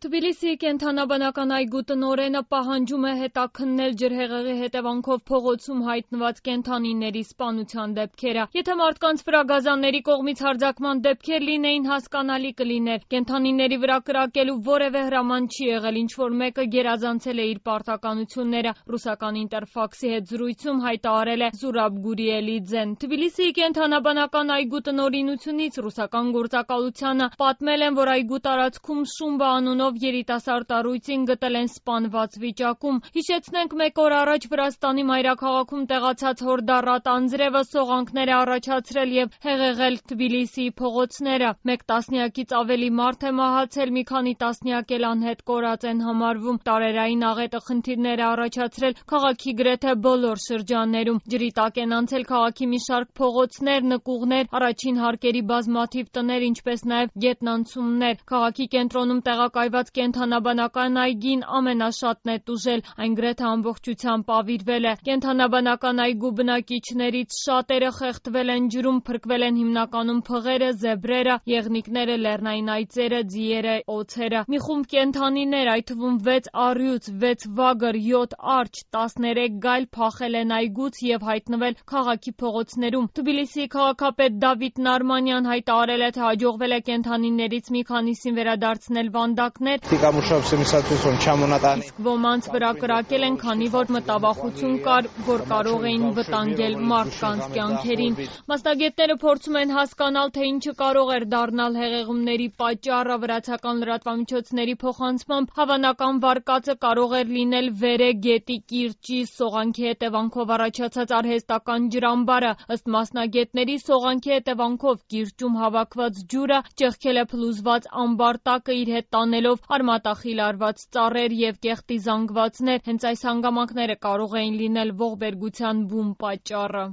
Թբիլիսիի կենդանաբանական այգու տնօրենը պահանջում է հետաքննել ջրհեղեղի հետևանքով փողոցում հայտնված կենդանիների սպանության դեպքերը։ Եթե մարդկանց վրա գազանների կողմից հարձակման դեպքեր լինեին, հասկանալի կլիներ։ Կենդանիների վրա կրակելու որևէ հրաման չի եղել, ինչ-որ մեկը գերազանցել է իր պարտականությունները, ռուսական Ինտերֆաքսի հետ զրույցում հայտարարել է Զուրաբ Գուրիելիձեն։ Թբիլիսիի կենդանաբանական այգու տնօրինությունից ռուսական գործակալությանը պատմել են, որ այգու տարածքում Շումբա անունով երիտասարդ առույցին գտել են սպանված վիճակում։ Հիշեցնենք, մեկ օր առաջ Վրաստանի մայրաքաղաքում տեղացած հորդառատ անձրևը սողանքներ է առաջացրել եւ հեղեղել Թբիլիսիի փողոցները։ Մեկ տասնյակից ավելի մարդ է մահացել, մի քանի տասնյակ էլ անհետ կորած են համարվում։ Տարերային աղետը խնդիրներ է առաջացրել քաղաքի գրեթե բոլոր շրջաններում։ Ջրի տակ են անցել քաղաքի մի շարք փողոցներ, նկուղներ, առաջին հարկերի բազմաթիվ տներ, ինչպես նաեւ գետնանցումներ։ Քաղաքի կենտրոնում տեղակայված կենդանաբանական այգին ամենաշատն է տուժել, այն գրեթե ամբողջությամբ ավիրվել է։ Կենդանաբանական այգու բնակիչներից շատերը խեղդվել են ջրում, փրկվել են հիմնականում փղերը, զեբրերը, եղնիկները, լեռնային այծերը, ձիերը, օձերը։ Մի խումբ կենդանիներ, այդ թվում 6 առյուծ, 6 վագր, 7 արջ, 13 գայլ փախել են այգուց եւ հայտնվել քաղաքի փողոցներում։ Թբիլիսիի քաղաքապետ Դավիթ Նարմանյան հայտարարել է, թե հաջողվել է կենդանիներից մի քանիսին վերադարձնել վանդակներ, իսկ ոմանց վրա կրակել են, քանի որ մտավախություն կար, որ կարող էին վտանգել մարդկանց կյանքերին։ Մասնագետները փորձում են հասկանալ, թե ինչը կարող էր դառնալ հեղեղումների պատճառը։ Վրացական լրատվամիջոցների փոխանցմամբ հավանական վարկածը կարող էր լինել Վերե գետի կիրճի սողանքի հետևանքով առաջացած արհեստական ջրամբարը։ Ըստ մասնագետների, սողանքի հետևանքով կիրճում հավաքված ջուրը ճեղքել է փլուզված ամբարտակը, իր հետ տանելով արմատախիլ արված ծառեր եւ կեղտի զանգվածներ։ Հենց այս հանգամանքները կարող էին լինել ողբերգության բում պատճառը։